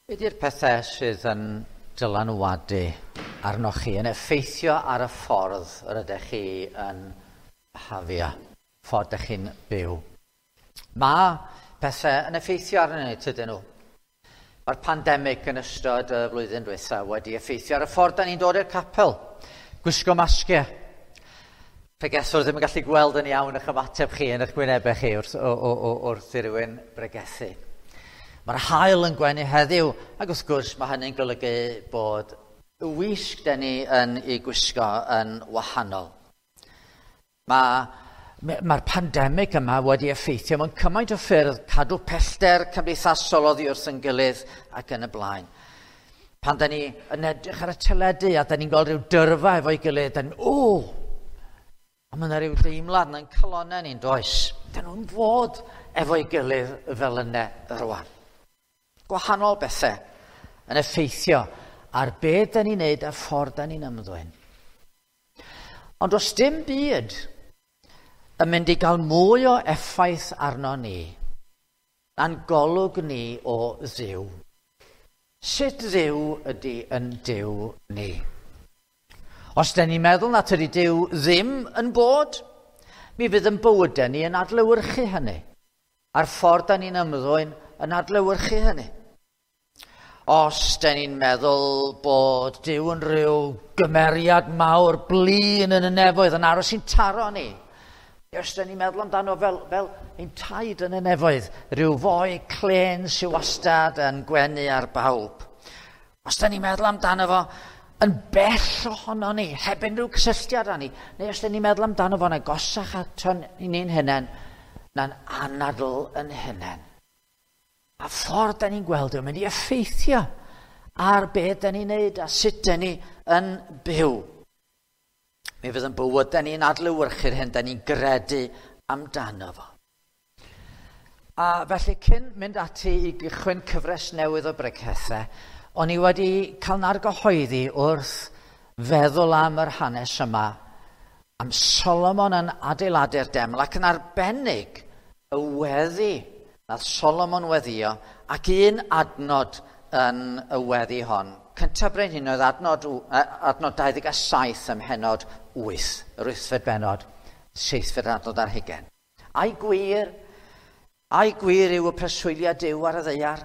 Be di'r pethau sydd yn dylanwadu arnoch chi, yn effeithio ar y ffordd yr ydych chi yn hafio, ffordd ydych chi'n byw? Mae pethau yn effeithio arnyn ni, tydyn nhw. Mae'r pandemig yn ystod y flwyddyn diwetha wedi effeithio ar y ffordd da ni'n dod i'r capel. Gwisgo masgiau. Pregethwr ddim yn gallu gweld yn iawn eich ymateb chi yn eich gwynebau chi wrth, o, o, o, wrth i rywun bregethu. Mae'r haul yn gwenu heddiw, ac wrth gwrs mae hynny'n golygu bod y wisg da ni yn ei gwisgo yn wahanol. Mae'r mae pandemig yma wedi effeithio mewn cymaint o ffyrdd, cadw pellter cymdeithasol oddi wrth yn gilydd ac yn y blaen. Pan da ni yn edrych ar y teledu a da ni'n gweld rhyw dyrfa efo'i gilydd, da ni'n, o, a mae yna rhyw deimlad yn calonau ni'n does. Da nhw'n fod efo'i gilydd fel yna rwan. Gwahanol bethau yn effeithio ar be da ni'n neud a ffordd da ni'n ymddwyn. Ond does dim byd yn mynd i gael mwy o effaith arno ni na'n golwg ni o Dduw. Sut Dduw ydy yn Duw ni? Os da ni'n meddwl na tydi Duw ddim yn bod, mi fydd yn bywydau ni yn adlewyrchu hynny. A'r ffordd da ni'n ymddwyn yn adlewyrchu hynny. Os da ni'n meddwl bod Duw yn rhyw gymeriad mawr blin yn y nefoedd yn aros i'n taro ni, os da ni'n meddwl amdano fel, fel ein taid yn y nefoedd, rhyw foi clen sy'n wastad yn gwenu ar bawb. Os da ni'n meddwl amdano fo yn bell ohono ni, heb unrhyw cysylltiad â ni, neu os da ni'n meddwl amdano fo'n agosach ato ni'n hunain, na'n anadl yn hunain. A ffordd da ni'n gweld yn mynd i effeithio ar be da ni'n neud a sut da ni yn byw. Mi fydd yn bywydau ni'n adlewyrchu'r hyn da ni'n gredu amdano fo. A felly cyn mynd ati i gychwyn cyfres newydd o bregethau, o'n i wedi cael nargyhoeddi wrth feddwl am yr hanes yma, am Solomon yn adeiladu'r deml ac yn arbennig y weddi nath Solomon weddio ac un adnod yn y weddi hon. Cyntaf Brenhinoedd adnod, adnod 27 ym mhennod 8, yr wythfed bennod, seithfed adnod ar hugain. Ai gwir, ai gwir yw y preswyliad Duw ar y ddaear?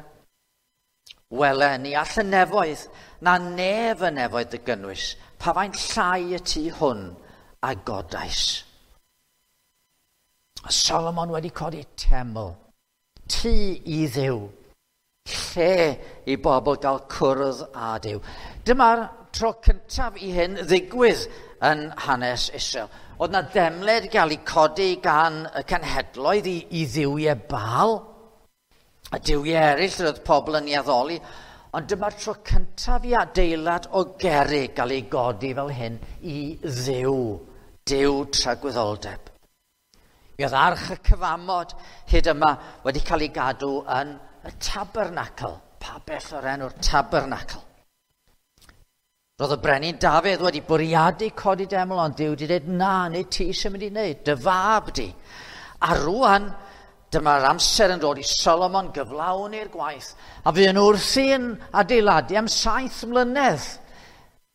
Wele, ni all y nefoedd, na nef y nefoedd dy gynnwys, pa faint llai y tŷ hwn a godais. A Solomon wedi codi teml, tŷ i Dduw, lle i bobl gael cwrdd â Duw. Dyma'r tro cyntaf i hyn ddigwydd yn hanes Israel. Oedd na demled gael ei codi gan y cenhedloedd i, i dduwiau Baal, a duwiau eraill roedd pobl yn ei addoli, ond dyma'r tro cyntaf i adeilad o gerrig gael ei godi fel hyn i Dduw, Duw tragwyddoldeb. Mi oedd arch y cyfamod hyd yma wedi cael ei gadw yn y tabernacl, pabell o'r enw'r tabernacl. Roedd y brenin Dafydd wedi bwriadu codi deml, ond Duw wedi dweud, na, nid ti sy'n mynd i wneud, dy fab di. A rwan, dyma'r amser yn dod i Solomon gyflawni'r gwaith, a fuon nhw wrthi'n adeiladu am 7 mlynedd.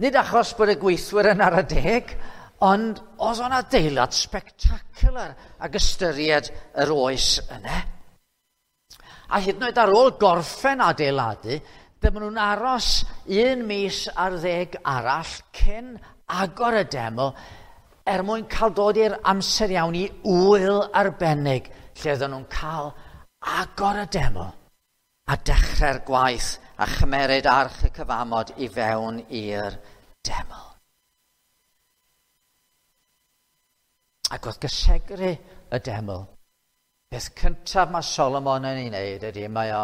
Nid achos bod y gweithwyr yn ar y deg, ond oedd o'n adeilad spectacular ag ystyried yr oes yna. A hyd yn oed ar ôl gorffen adeiladu, dyma nhw'n aros 1 mis ar 10 arall cyn agor y deml er mwyn cael dod i'r amser iawn i ŵyl arbennig lle oedden nhw'n cael agor y deml a dechrau'r gwaith a chymeryd arch y cyfamod i fewn i'r deml. Ac wrth gysegru y deml, beth cyntaf mae Solomon yn ei wneud ydy mae o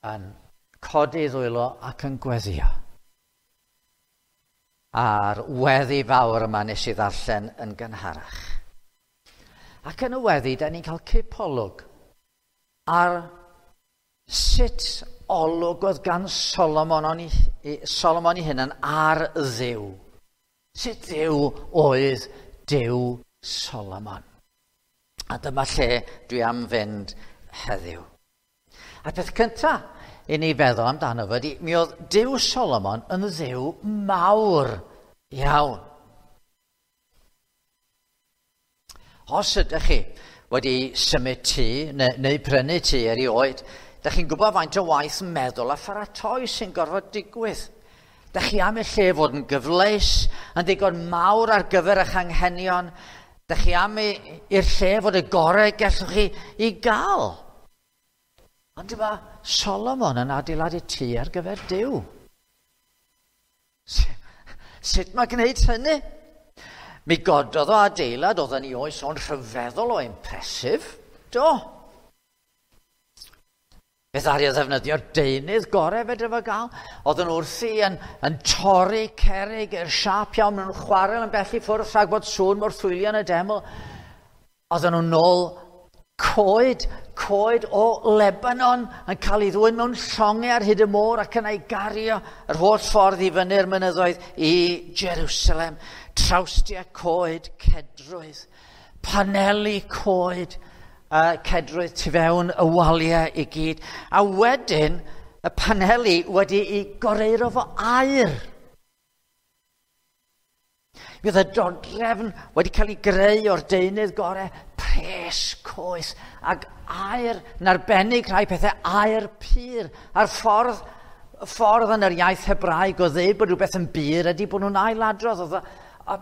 yn codi ddwylo ac yn gweddio. A'r weddi fawr yma nes i ddarllen yn gynharach. Ac yn y weddi, da ni'n cael cipolwg ar sut olwg oedd gan Solomon, on i, Solomon ei hunan ar Dduw. Sut Dduw oedd Duw Solomon. A dyma lle dwi am fynd heddiw. A peth cyntaf i ni feddwl amdano fo ydy, mi oedd Duw Solomon yn dduw mawr iawn. Os ydych chi wedi symud tŷ neu prynu tŷ erioed, dych chi'n gwybod faint o waith meddwl a pharatoi sy'n gorfod digwydd. Dych chi am y lle fod yn gyfleus, yn ddigon mawr ar gyfer eich anghenion. Dych chi am i'r lle fod y gorau gallwch chi i gael. Ond dyma Solomon yn adeiladu tŷ ar gyfer Duw. Sut mae gwneud hynny? Mi gododd o adeilad oedd yn ei oes o'n rhyfeddol o impressive. Do. Fe ddaru o ddefnyddio'r deunydd gorau fedra fo gael. Oedd yn wrthi yn torri cerrig i'r siâp iawn mewn chwarel yn bell i ffwrdd rhag bod sŵn morthwylio yn y deml. Oedden nhw'n nôl coed o Lebanon yn cael ei ddwyn mewn llongau ar hyd y môr ac yna ei gario yr holl ffordd i fyny'r mynyddoedd i Jerusalem. Trawstiau coed cedrwydd, paneli coed cedrwydd tu fewn y waliau i gyd. A wedyn y paneli wedi'i goreuro fo aur. Mi oedd y dodrefn wedi cael ei greu o'r deunydd gorau, pres coes, ac aur yn arbennig rhai pethau, aur pur. A'r ffordd yn yr iaith Hebraeg o ddeud bod rhywbeth yn bur ydy bod nhw'n ailadrodd. A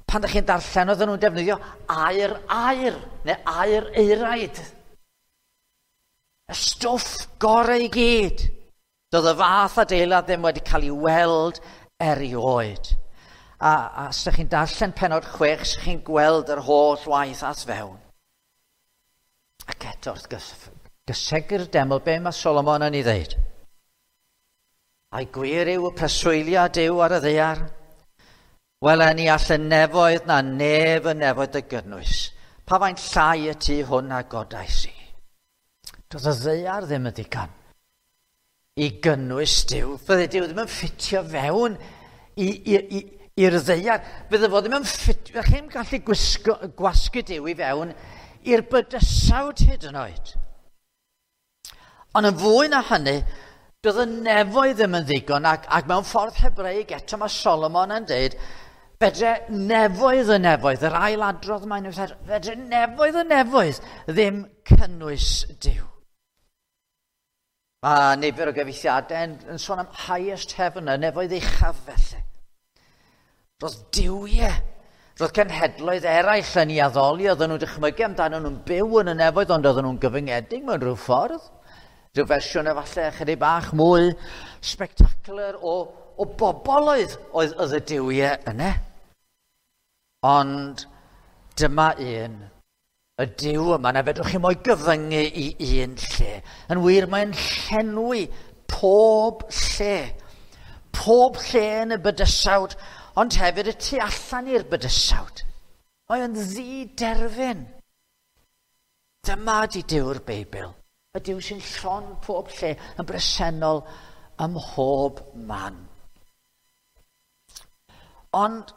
pan ydych chi'n darllen, oedden nhw'n defnyddio aur aur, neu aur euraid. Y stwff gorau i gyd. Doedd y fath adeilad ddim wedi cael ei weld erioed. A os ydych chi'n darllen pennod 6, ydych chi'n gweld yr holl waith at fewn. Ac eto, wrth gysegru'r deml, be mae Solomon yn ei ddeud? Ai gwir yw y preswylia Duw ar y ddaear? Wel, ni all y nefoedd na nef y nefoedd dy gynnwys. Pa faint llai y tŷ hwn a godais i? Doedd y ddaear ddim yn ddigon i gynnwys Duw. Fydde Duw ddim yn ffitio fewn i'r ddaear. Fydde fo ddim yn ffitio, chi'n gallu gwasgu Duw i fewn i'r bydysawd hyd yn oed. Ond yn fwy na hynny, doedd y nefoedd ddim yn ddigon, ac mewn ffordd Hebreig eto mae Solomon yn dweud, fedre nefoedd y nefoedd, yr ailadrodd mae'n dweud, fedre nefoedd y nefoedd ddim cynnwys Duw. Mae nifer o gyfieithiadau yn sôn am highest heaven, y nefoedd uchaf felly. Roedd duwiau, roedd cenhedloedd eraill yn ei addoli, oedden nhw'n dychmygu amdano nhw'n byw yn y nefoedd, ond oedden nhw'n gyfyngedig mewn rhyw ffordd. Rhyw fersiwn efallai ychydig bach mwy spectacular o bobl oedd y duwiau yna. Ond dyma un, y Duw yma, na fedrwch chi mo'i gyfyngu i un lle. Yn wir, mae'n llenwi pob lle. Pob lle yn y bydysawd, ond hefyd y tu allan i'r bydysawd. Mae o'n ddiderfyn. Dyma di Duw'r Beibl. Y Duw sy'n llon pob lle, yn bresennol ym mhob man. Ond,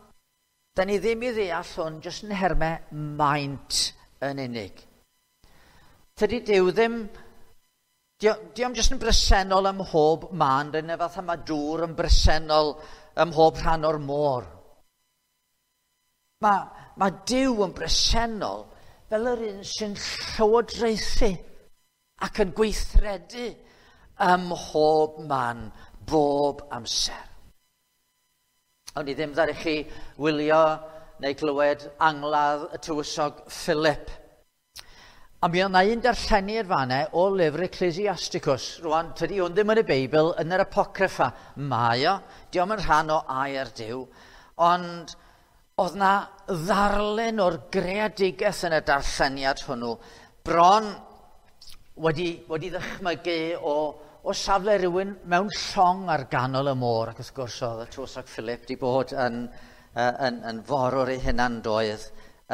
da ni ddim i ddeall hwn jyst yn nhermau maint yn unig. Tydi Duw ddim, dio'm jyst yn bresennol ym mhob man, rydyn fath yma dŵr yn bresennol ym mhob rhan o'r môr. Mae Duw yn bresennol fel yr un sy'n llywodraethu ac yn gweithredu ym mhob man, bob amser. Ond i ddim ddaru chi wylio neu glywed angladd y tywysog Philip. A mi oedd yna un darlleniad fan'na o lyfr Ecclesiasticus. Rwan, tydi hwn ddim yn y Beibl, yn yr Apocryffa. Mae o, dio'm yn rhan o air Duw, ond oedd na ddarlun o'r greadigaeth yn y darlleniad hwnnw, bron wedi ddychmygu o safle rhywun mewn llong ar ganol y môr, ac wrth gwrs oedd y tywysog Philip wedi bod yn forwr ei hunan doedd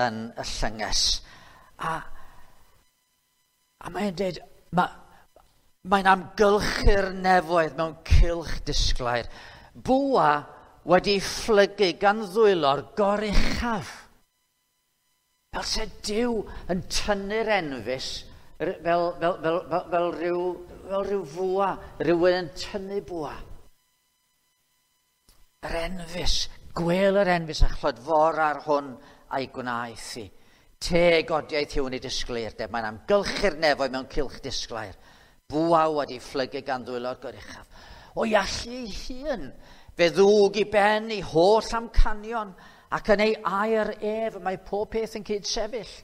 yn y llynges. A mae'n dweud, mae'n amgylchu'r nefoedd mewn cylch disglair. Bwa wedi phlygu gan ddwylo'r goruchaf. Fel se Duw yn tynnu'r enfys fel rhyw fel rhyw fwa, rhywun yn tynnu bwa. Yr enfys, gwel yr enfys a chlodfor ar hwn a'i gwnaeth i. Teg odiaeth yw yn ei disgleirdeb, mae'n amgylchu'r nefoedd mewn cylch disglair. Bwa wedi phlygu gan ddwylo'r goruchaf. O'i allu ei hun, fe ddwg i ben ei holl amcanion, ac yn ei air ef mae pob peth yn cyd-sefyll.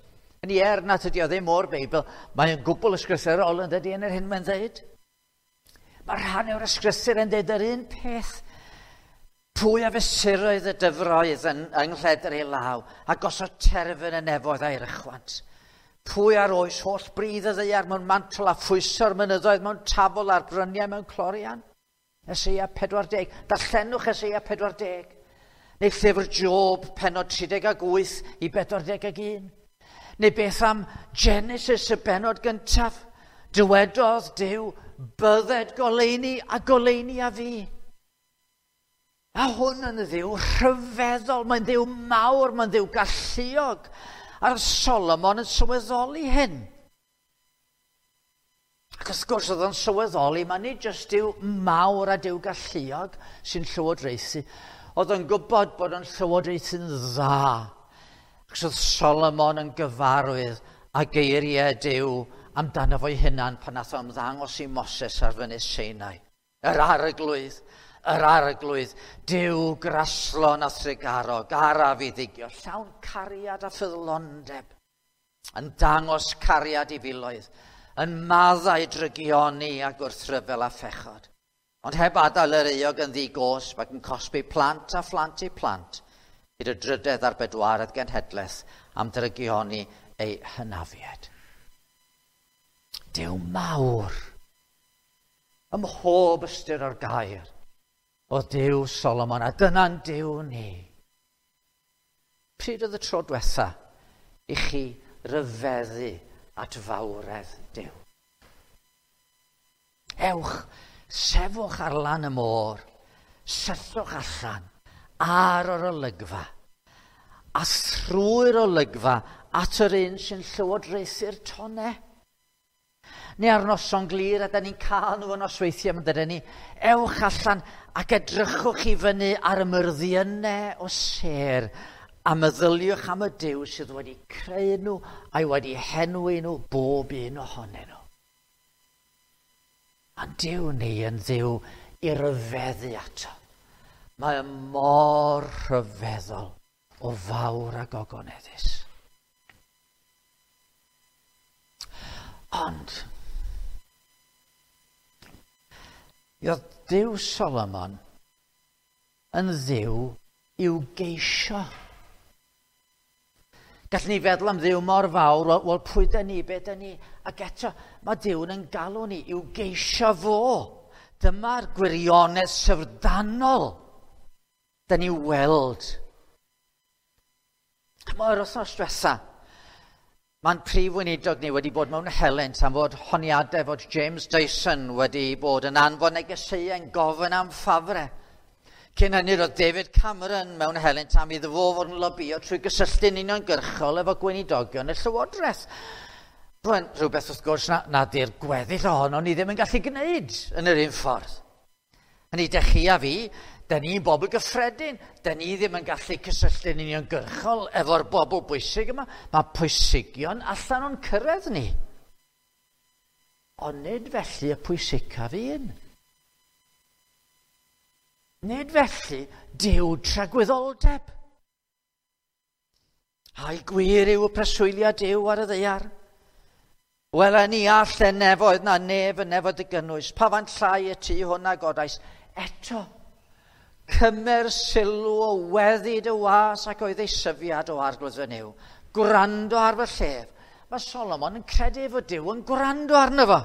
Yn ei er nad ydi o ddim o'r Beibl, mae'n gwbl ysgrythurol yn dydi yn yr hyn mae'n dweud. Mae rhan o'r ysgrythur yn dweud yr un peth. Pwy a fesuroedd y dyfroedd yn yng nghledr ei law, a gosod terfyn y nefoedd a'i rychwant. Pwy ar oes holl bridd y ddaear mewn mantol a phwyso'r mynyddoedd mewn tafol a'r bryniau mewn clorian? Eseia 40. Darllenwch Eseia 40. Neu llyfr Job, pennod 38 i 41. Neu beth am Genesis y bennod gyntaf? Dywedodd Duw, bydded goleuni a goleuni a fi. A hwn yn ddiw rhyfeddol, mae'n ddiw mawr, mae'n ddiw galluog. A'r Solomon yn sylweddoli hyn. Ac wrth gwrs oedd o'n sylweddoli, mae nid jyst Duw mawr a Duw galluog sy'n llywodraethu. Oedd o'n gwybod bod o'n llywodraethu'n dda. Ac oedd Solomon yn gyfarwydd a geiriau Duw amdano fo'i hunan pan nath o ymddangos i Moses ar fynydd Sinai. Yr arglwydd, yr arglwydd, Duw graslon a thrugarog, araf i ddigio, llawn cariad a ffyddlondeb, yn dangos cariad i filoedd, yn maddau drygioni a gwrthryfel a phechod. Ond heb adael yr euog yn ddi-gosb ac yn cosbi plant a phlant eu plant, hyd y drydedd a'r bedwaredd genhedlaeth am drygioni ei hynafiad. Duw mawr, ym mhob ystyr o'r gair, o Duw Solomon, a dyna'n Duw ni. Pryd oedd y tro diwetha i chi ryfeddu at fawredd Duw? Ewch, sefwch ar lan y môr, syllwch allan ar yr olygfa, a thrwy'r olygfa at yr un sy'n llywodraethu'r tonnau. Neu ar noson glir, a da ni'n cael nhw yn nosweithiau, yn dydyn ni, ewch allan ac edrychwch i fyny ar y myrddiynau o sêr, a meddyliwch am y Duw sydd wedi creu nhw a'i wedi henwi nhw bob un ohonyn nhw. A'n Duw ni yn Dduw i ryfeddu ato. Mae y mor rhyfeddol o fawr a gogoneddus. Ond, oedd Duw Solomon yn Dduw i'w geisio. Gallwn ni feddwl am Dduw mor fawr, wel pwy da ni, be da ni? Ac eto, mae Duw'n yn galw ni i'w geisio fo. Dyma'r gwirionedd syfrdanol da ni weld. Mae'r wythnos diwetha, mae'n prif weinidog ni wedi bod mewn helynt am fod honiadau fod James Dyson wedi bod yn anfon negeseuau yn gofyn am ffafrau. Cyn hynny roedd David Cameron mewn helynt am iddo fo fod yn lobio trwy gysylltu'n uniongyrchol efo gweinidogion y Llywodraeth. Rwy'n rhywbeth wrth gwrs na di'r gweddill ohono ni ddim yn gallu gwneud yn yr un ffordd. Hynny, dych chi a fi, da ni'n bobl gyffredin, da ni ddim yn gallu cysylltu'n uniongyrchol efo'r bobl bwysig yma. Mae pwysigion allan o'n cyrraedd ni. Ond nid felly y pwysicaf un. Nid felly Duw tragwyddoldeb. Ai gwir yw y preswyliad Duw ar y ddaear? Wel, ni all y nefoedd na nef y nefoedd y gynnwys, pa fan llai y tŷ hwn a godais. Eto, cymer sylw o weddi dy was ac oedd ei syfiad o arglwydd fy Nuw. Gwrando ar fy llef. Mae Solomon yn credu fod Duw yn gwrando arno fo.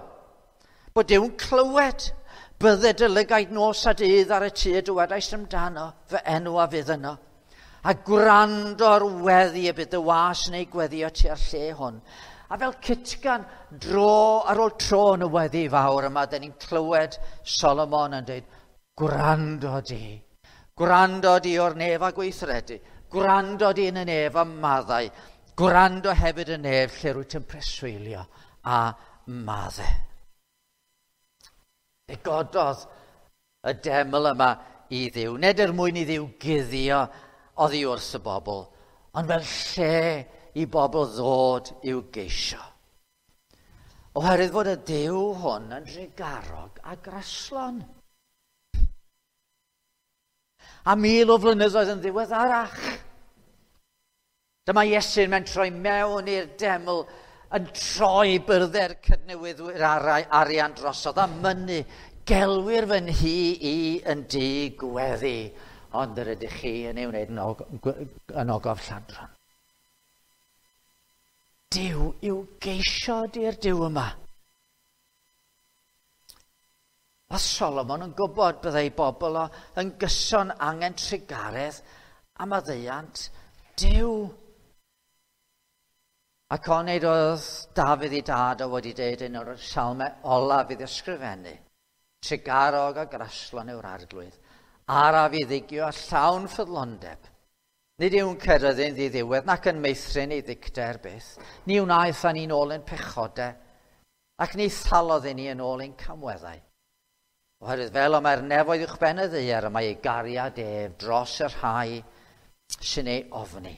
Bod Duw'n clywed. Bydde dy lygaid nos a dydd ar y tŷ y dywedais amdano, fy enw a fydd yno. A gwrando ar weddi y bydd dy was yn ei gweddio tua'r lle hwn. A fel cytgan dro ar ôl tro yn y weddi fawr yma, da ni'n clywed Solomon yn dweud, gwrando di o'r nef a gweithredu, gwrando di yn y nef a maddau, gwrando hefyd y nef lle rwyt yn preswylio a maddau. Fe gododd y deml yma i Dduw, nid er mwyn i Dduw guddio oddi wrth y bobl, ond fel lle i bobl ddod i'w geisio. Oherwydd fod y Duw hwn yn drugarog a graslon. A 1000 o flynyddoedd yn ddiweddarach, dyma Iesu'n mentroi mewn i'r deml yn troi byrdde'r cydnewyddwyr arian drosodd a mynnu, gelwir fy nhŷ i yn dŷ gweddi, ond yr ydych chi yn ei wneud yn ogof lladron. Duw i'w geisio di'r Duw yma. Oedd Solomon yn gwybod byddai bobl o yn gyson angen trugaredd a maddeuant Duw. Ac onid oedd Dafydd ei dad o wedi deud un o'r salmau olaf iddo ysgrifennu, trugarog a graslon yw'r arglwydd, araf i ddigio a llawn ffyddlondeb. Nid yw'n ceryddu'n ddiddiwedd nac yn meithrin ei ddicter byth. Ni wnaeth â ni'n ôl ein pechodau, ac ni thalodd i ni yn ôl ein camweddau. Oherwydd fel y mae'r nefoedd uwchben y ddaear, y mae ei gariad ef dros y rhai sy'n ei ofni.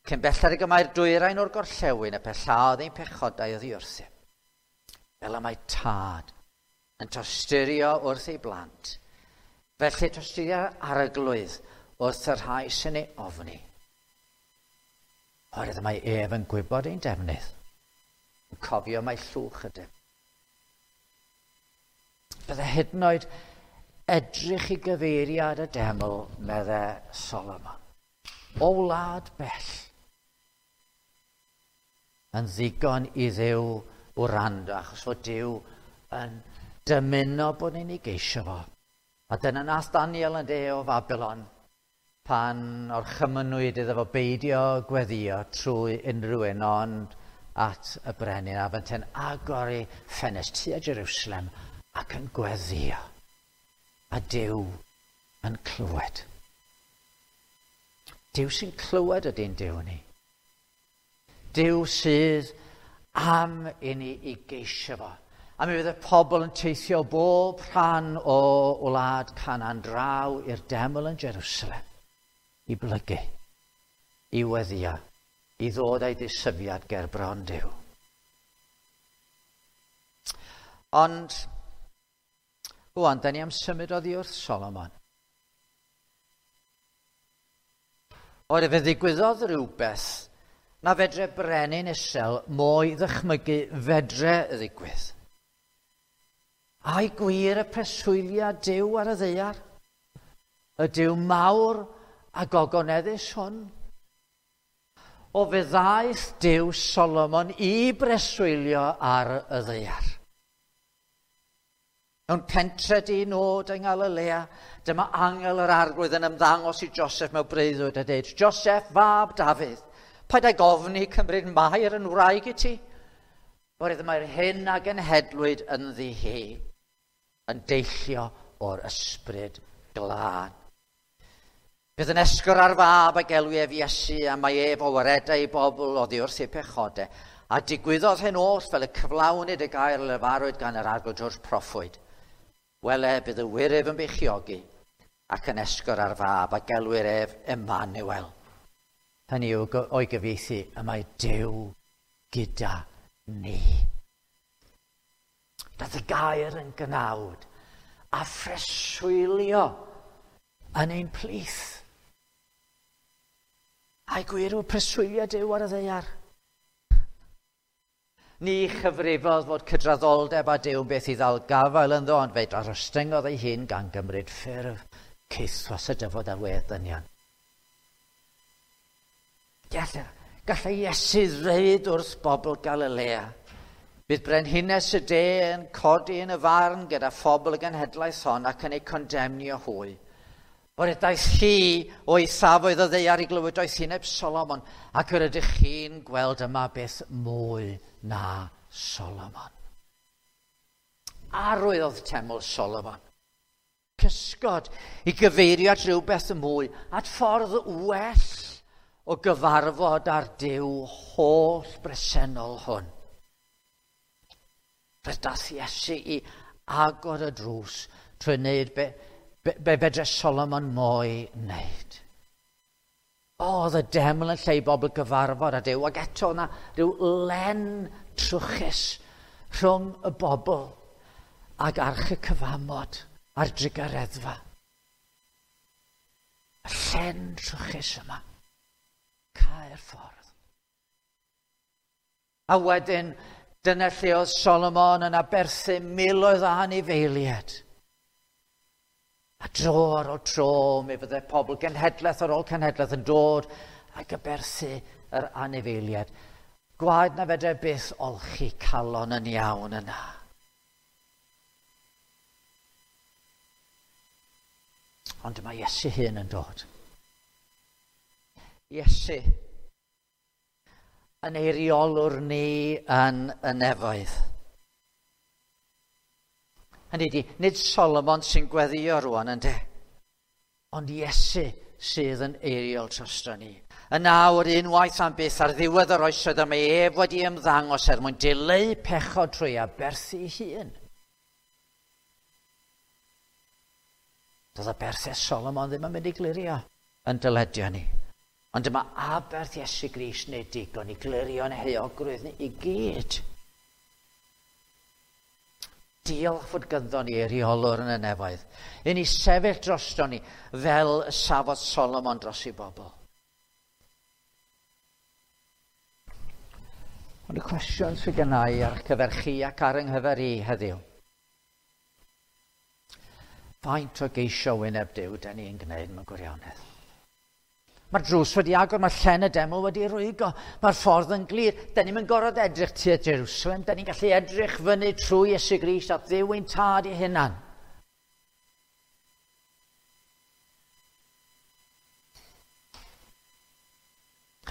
Cyn belled ag y mae'r dwyrain o'r gorllewin, y pellaodd ein pechodau oddi wrthym. Fel y mae tad yn tosturio wrth ei blant, felly tosturia'r arglwydd wrth y rhai sy'n ei ofni. Oherwydd mae ef yn gwybod ein defnydd, yn cofio mai llwch ydym. Bydde hyd yn oed edrych i gyfeiriad y deml, medde Solomon, o wlad bell, yn ddigon i Dduw wrando, achos fod Duw yn dymuno bod ni'n ei geisio fo. A dyna nath Daniel yn de o Fabilon, pan orchymynwyd iddo fo beidio gweddio trwy unrhyw un ond at y brenin, a fynte'n agor ei ffenest tua Jerusalem ac yn gweddio. A Duw yn clywed. Duw sy'n clywed ydy'n Duw ni. Duw sydd am i ni i geisio fo. A mi fydd y pobl yn teithio bob rhan o wlad Canaan draw i'r deml yn Jerusalem i blygu, i weddio, i ddod â'i ddisyfiad ger bron Duw. Ond, rwan, da ni am symud oddi wrth Solomon. Oherwydd fe ddigwyddodd rhywbeth na fedre brenin Israel mo'i ddychmygu fedre ddigwydd. Ai gwir y preswyliad Duw ar y ddaear? Y Duw mawr a gogoneddus hwn? O fe ddaeth Duw Solomon i breswylio ar y ddaear. Mewn pentre di-nod yng Nghalilea, dyma angel yr arglwydd yn ymddangos i Joseph mewn breuddwyd a dweud, Joseph, fab Dafydd, paid ag ofni cymryd Mair yn wraig i ti? Oherwydd mae'r hyn a genhedlwyd ynddi hi yn deillio o'r ysbryd glân. Bydd yn esgor ar fab a gelwi ef Iesu, a mae ef o waredau i bobl oddi wrth eu pechodau. A digwyddodd hyn oll fel y cyflawnid y gair lefarwyd gan yr arglwydd drwy'r proffwyd. Wele, bydd y wyryf yn beichiogi ac yn esgor ar fab a gelwir ef Emmanuel. Hynny yw o'i gyfieithu, y mae Duw gyda ni. Daeth y gair yn gnawd a phreswylio yn ein plith. Ai gwir yw preswylio Duw ar y ddaear? Ni chyfrifodd fod cydraddoldeb a Duw yn beth i ddal gafael ynddo, ond fe darostyngodd ei hun gan gymryd ffurf caethwas y dyfod ar wedd dynion. Gallai Iesu ddweud wrth bobl Galilea, bydd brenhines y de yn codi yn y farn gyda phobl y genhedlaeth hon ac yn ei condemnio hwy. Oherwydd daeth hi o'i safoedd o ddaear i glywed doethineb Solomon, ac yr ydych chi'n gweld yma beth mwy na Solomon. Arwydd oedd teml Solomon. Cysgod i gyfeirio at rhywbeth mwy, at ffordd well o gyfarfod â'r Duw holl bresennol hwn. Fe daeth Iesu i agor y drws trwy wneud be fedre Solomon mo'i wneud. O, oedd y deml yn lle i bobl gyfarfod â Duw, ac eto yna rhyw len trwchus rhwng y bobl ag arch y cyfamod a'r drugareddfa. Y llen trwchus yma. Cau'r ffordd. A wedyn, dyna lle oedd Solomon yn aberthu miloedd o anifeiliaid. A dro ar ôl tro, mi fydde pobl genhedlaeth ar ôl cenhedlaeth yn dod ac aberthu yr anifeiliaid. Gwaed na fedrai byth olchi calon yn iawn yna. Ond mae Iesu hun yn dod. Iesu yn eiriolwr ni yn y nefoedd. Hynny ydi, nid Solomon sy'n gweddio rwan ynde, ond Iesu sydd yn eiriol drosto ni. Yn awr, unwaith am byth, ar ddiwedd yr oesoedd, y mae ef wedi ymddangos er mwyn dileu pechod trwy aberthu ei hun. Doedd aberthau Solomon ddim yn mynd i glirio yn dyledion ni. Ond dyma aberth Iesu Grist neu digon i glirio'n heuogrwydd ni i gyd. Diolch fod gynddo ni eiriolwr yn y nefoedd. I ni sefyll drosto ni fel y safodd Solomon dros ei bobl. Ond y cwestiwn sydd gennau ar gyfer chi ac ar yng nghyfer i heddiw. Faint o geisio wyneb Duw da ni'n gwneud mewn gwirionedd? Mae'r drws wedi agor, mae llen y deml wedi rwygo, mae'r ffordd yn glir. Da ni'n gorfod edrych tua Jerusalem, da ni'n gallu edrych fyny trwy Iesu Grist at Dduw ein tad ei hunan.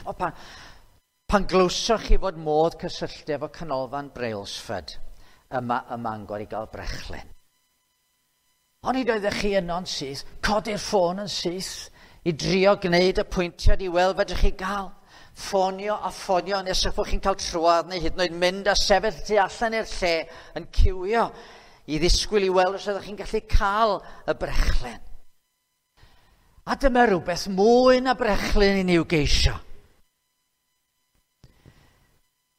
O, pan glywsoch chi fod modd cysylltu efo canolfan Brailsford yma ym Mangor i gael brechlyn. Onid oeddech chi yno'n syth, codi'r ffôn yn syth, i drio gwneud y pwyntiad i weld fedrwch chi gael. Ffonio a ffonio nes eich bod chi'n cael trwad neu hyd yn oed mynd a sefyll tu allan i'r lle yn ciwio i ddisgwyl i weld os ydych chi'n gallu cael y brechlyn. A dyma rhywbeth mwy na brechlyn i ni i'w geisio.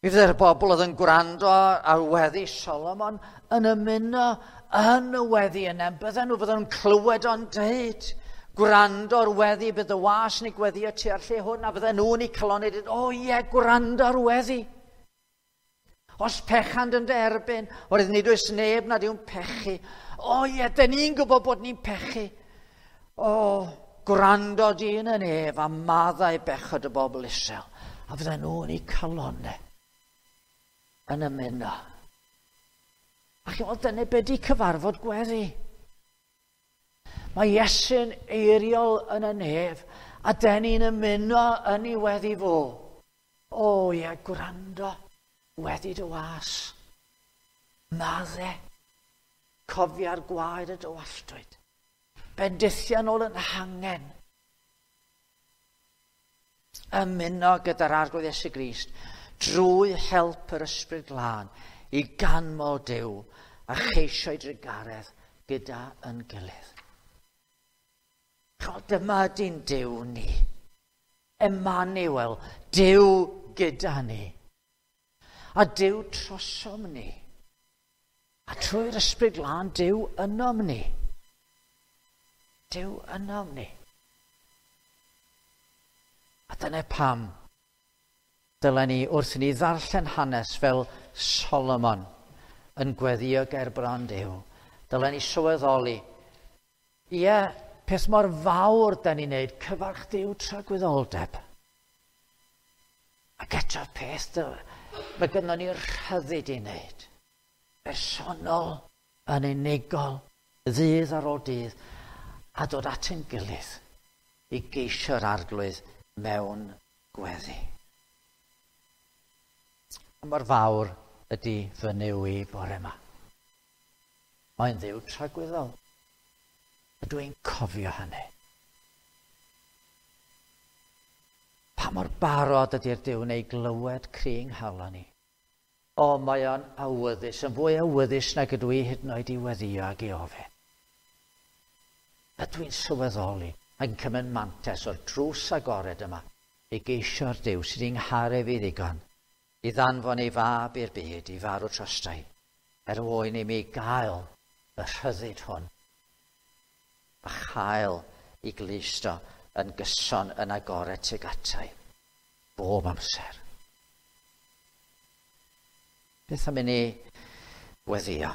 Mi fydde'r bobl oedd yn gwrando ar weddi Solomon yn ymuno yn y weddi yna. Bydden nhw'n clywed o'n deud, gwrando ar weddi, bydd y was yn ei gweddio tua'r lle hwn, a bydden nhw'n ei calonu dweud, o ie, gwrando ar weddi. Os pechant yn dy erbyn, oherwydd nid oes neb nad yw'n pechu. O ie, dyn ni'n gwybod bod ni'n pechu. O, gwrando dyn yn ef a maddau bechod y bobl Israel. A fydden nhw'n ei calonau yn ymuno. A chi'n gweld, dyna be di cyfarfod gweddi. Mae Iesu'n eiriol yn y nef, a den ni'n ymuno yn ei weddi fo. O ie, gwrando, weddi dy was. Madde, cofia'r gwaed y dywalltwyd. Bendithion ôl yn hangen. Ymuno gyda'r Arglwydd Iesu Grist drwy help yr Ysbryd Glân i ganmol Duw a cheisio'i drugaredd gyda yn gilydd. Chod, dyma ydy'n Duw ni. Emmanuel, Duw gyda ni. A Duw trosom ni. A trwy'r Ysbryd Glân, Duw ynom ni. Duw ynom ni. A dyna pam dylen ni wrth i ni ddarllen hanes fel Solomon yn gweddio ger bron Duw. Dylen ni sylweddoli, ie, peth mor fawr da ni'n neud, cyfarch Duw tragwyddoldeb. Ac eto peth, mae gynnon ni'r rhyddid i wneud. Bersonol, yn unigol, ddydd ar ôl dydd, a dod at ein gilydd i geisio'r Arglwydd mewn gweddi. Mor fawr ydy fy Nuw i bore yma. Mae'n Dduw tragwyddol. Ydw i'n cofio hynny. Pa mor barod ydy'r Duw neu glywed cri yng nghalon ni. O, mae o'n awyddus, yn fwy awyddus nag ydw i hyd yn oed i weddio ag i ofyn. A dwi'n sylweddoli yn cymryd mantais o'r drws agored yma i geisio'r Duw sydd i'n ngharu fi ddigon, i ddanfon ei fab i'r byd i farw trostai, er mwyn i mi gael y rhyddid hwn a chael i glisto yn gyson yn agored tuag atai, bob amser. Beth am i ni weddio?